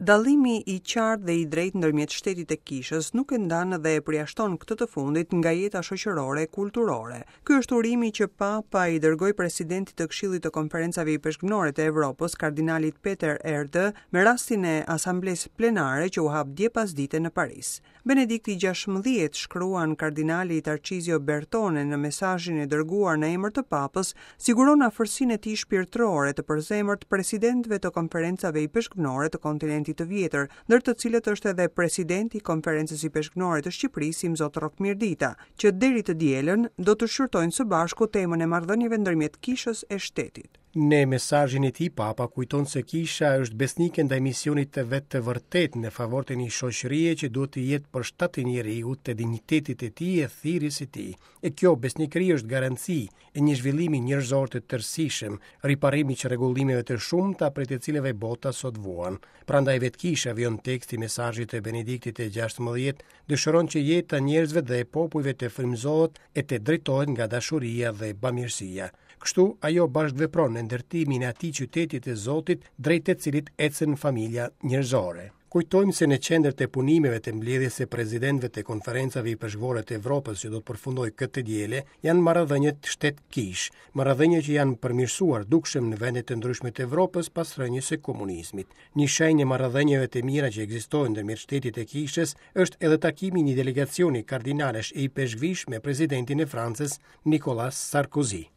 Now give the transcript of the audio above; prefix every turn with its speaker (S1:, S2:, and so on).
S1: Dallimi i qartë dhe i drejtë ndërmjet shtetit e kishës nuk e ndan dhe e përjashton këtë të fundit nga jeta shoqërore e kulturore. Ky është urimi që Papa i dërgoi presidentit të Këshillit të Konferencave Ipeshkvnore të Evropës, kardinalit Peter Erdö, me rastin e Asamblesë Plenare që u hap dje pasdite në Paris. Benedikti 16, shkruan kardinali Tarcizio Bertone në mesazhin e dërguar në emër të Papës, siguron afërsinë e tij shpirtërore të përzemërt presidentëve të konferencave ipeshkvnore të kontinentit të vjetër, ndër të cilët është edhe presidenti i Konferencës Ipeshkvnore të Shqipërisë, Imzot Rrok Mirdita, që deri të dielën do të shqyrtojnë së bashku temën e marrëdhënieve ndërmjet kishës e shtetit.
S2: Në mesazhin e tij, Papa kujton se Kisha është besnike ndaj misionit të vet të vërtetë në favor të një shoqërie që duhet të jetë për shtat të njeriut, të dinjitetit të tij e thirrjes së tij. E kjo besnikëri është garanci e një zhvillimi njerëzor të tërësishëm, riparimi i çrregullimeve të shumta prej të cilave bota sot vuan. Prandaj vetë Kisha, vijon teksti i mesazhit të Benediktit të 16, dëshiron që jeta e njerëzve dhe e popujve të frymëzohet e të drejtohet nga dashuria dhe bamirësia. Kështu, ajo bashkëvepron në ndërtimin e atij qyteti të Zotit drejt të cilit ecën familja njerëzore. Kujtojmë se në qendër të punimeve të mbledhjes së presidentëve të konferencave ipeshkvore të Evropës që do të përfundojë këtë të diele, janë marrëdhëniet shtet-kishë, marrëdhënie që janë përmirësuar dukshëm në vende të ndryshme të Evropës pas rënies së komunizmit. Një shenjë e marrëdhënieve të mira që ekzistojnë ndërmjet shtetit e kishës është edhe takimi i një delegacioni kardinalësh e ipeshkvish me presidentin e Francës, Nicolas Sarkozy.